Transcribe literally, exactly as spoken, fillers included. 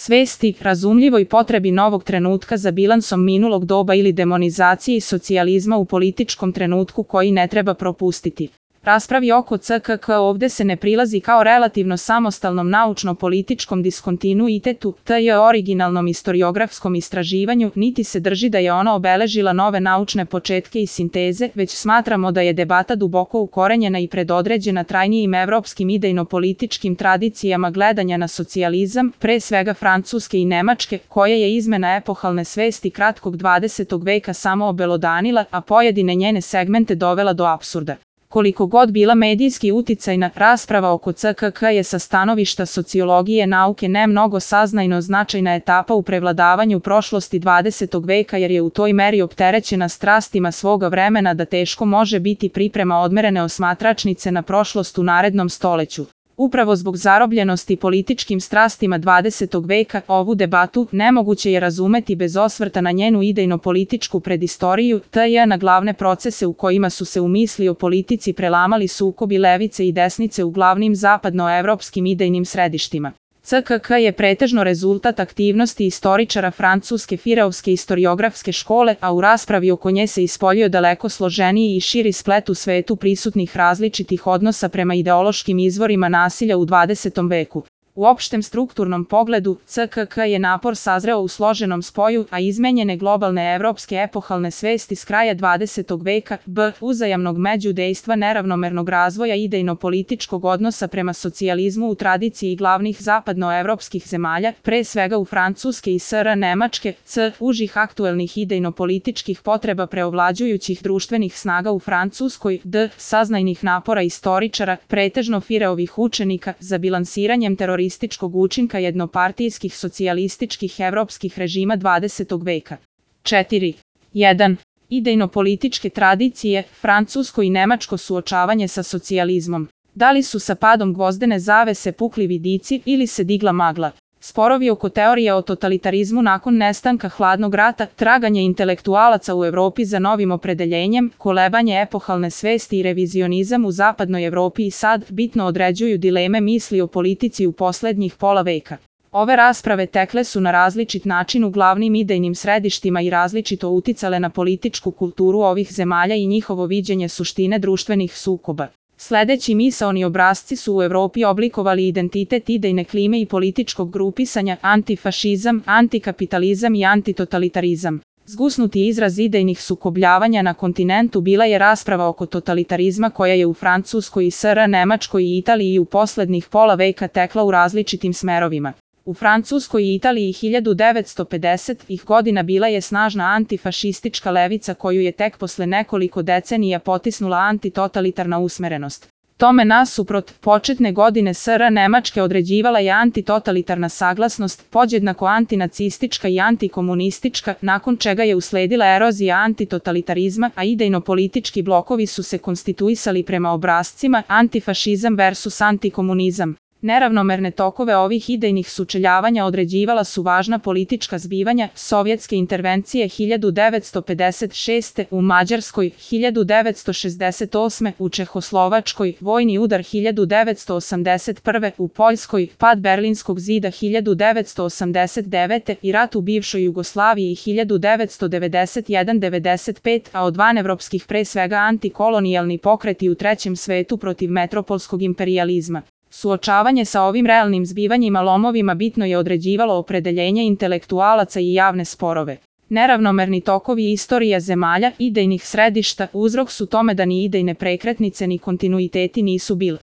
svesti, razumljivoj potrebi novog trenutka za bilansom minulog doba ili demonizaciji socijalizma u političkom trenutku koji ne treba propustiti. Raspravi oko C K K ovde se ne prilazi kao relativno samostalnom naučno-političkom diskontinuitetu, tj. originalnom istoriografskom istraživanju, niti se drži da je ona obeležila nove naučne početke i sinteze, već smatramo da je debata duboko ukorenjena i predodređena trajnijim evropskim idejno-političkim tradicijama gledanja na socijalizam, pre svega Francuske i Nemačke, koje je izmena epohalne svesti kratkog dvadesetog veka samo obelodanila, a pojedine njene segmente dovela do apsurda. Koliko god bila medijski uticajna, rasprava oko C K K je sa stanovišta sociologije nauke ne mnogo saznajno značajna etapa u prevladavanju prošlosti dvadesetog veka jer je u toj meri opterećena strastima svoga vremena da teško može biti priprema odmerene osmatračnice na prošlost u narednom stoleću. Upravo zbog zarobljenosti političkim strastima dvadesetog veka, ovu debatu nemoguće je razumeti bez osvrta na njenu idejno-političku predistoriju, tj. na glavne procese u kojima su se u misli o politici prelamali sukobi levice i desnice u glavnim zapadnoevropskim idejnim središtima. C K K je pretežno rezultat aktivnosti istoričara francuske Fireovske istoriografske škole, a u raspravi oko nje se ispoljio daleko složeniji i širi splet u svetu prisutnih različitih odnosa prema ideološkim izvorima nasilja u dvadesetom veku. U opštem strukturnom pogledu, C K K je napor sazreo u složenom spoju, a izmenjene globalne evropske epohalne svesti s kraja dvadesetog veka, b. uzajamnog međudejstva neravnomernog razvoja idejno-političkog odnosa prema socijalizmu u tradiciji glavnih zapadnoevropskih zemalja, pre svega u Francuske i S R Nemačke, c. užih aktuelnih idejno-političkih potreba preovlađujućih društvenih snaga u Francuskoj, d. saznajnih napora istoričara, pretežno Fireovih učenika, za bilansiranjem terorističkog učinka jednopartijskih socijalističkih evropskih režima dvadesetog veka. četiri. jedan. Idejno-političke tradicije, francusko i nemačko suočavanje sa socijalizmom. Da li su sa padom gvozdene zavese pukli vidici ili se digla magla? Sporovi oko teorije o totalitarizmu nakon nestanka hladnog rata, traganje intelektualaca u Evropi za novim opredeljenjem, kolebanje epohalne svesti i revizionizam u zapadnoj Evropi i sad bitno određuju dileme misli o politici u poslednjih pola veka. Ove rasprave tekle su na različit način u glavnim idejnim središtima i različito uticale na političku kulturu ovih zemalja i njihovo viđenje suštine društvenih sukoba. Sledeći misaoni obrasci su u Evropi oblikovali identitet idejne klime i političkog grupisanja, antifašizam, antikapitalizam i antitotalitarizam. Zgusnuti izraz idejnih sukobljavanja na kontinentu bila je rasprava oko totalitarizma koja je u Francuskoj i S R Nemačkoj i Italiji u poslednjih pola veka tekla u različitim smerovima. U Francuskoj i Italiji hiljadu devetsto pedesetih godina bila je snažna antifašistička levica koju je tek posle nekoliko decenija potisnula antitotalitarna usmerenost. Tome nasuprot, početne godine S R Nemačke određivala je antitotalitarna saglasnost, podjednako antinacistička i antikomunistička, nakon čega je usledila erozija antitotalitarizma, a idejno-politički blokovi su se konstituisali prema obrascima antifašizam versus antikomunizam. Neravnomerne tokove ovih idejnih sučeljavanja određivala su važna politička zbivanja, sovjetske intervencije hiljadu devetsto pedeset šeste. u Mađarskoj, hiljadu devetsto šezdeset osme. u Čehoslovačkoj, vojni udar hiljadu devetsto osamdeset prve. u Poljskoj, pad Berlinskog zida hiljadu devetsto osamdeset devete. i rat u bivšoj Jugoslaviji hiljadu devetsto devedeset jedan do devedeset pete. a od vanevropskih pre svega antikolonijalni pokreti u trećem svetu protiv metropolskog imperijalizma. Suočavanje sa ovim realnim zbivanjima lomovima bitno je određivalo opredeljenje intelektualaca i javne sporove. Neravnomerni tokovi istorija zemalja, idejnih središta, uzrok su tome da ni idejne prekretnice ni kontinuiteti nisu bili.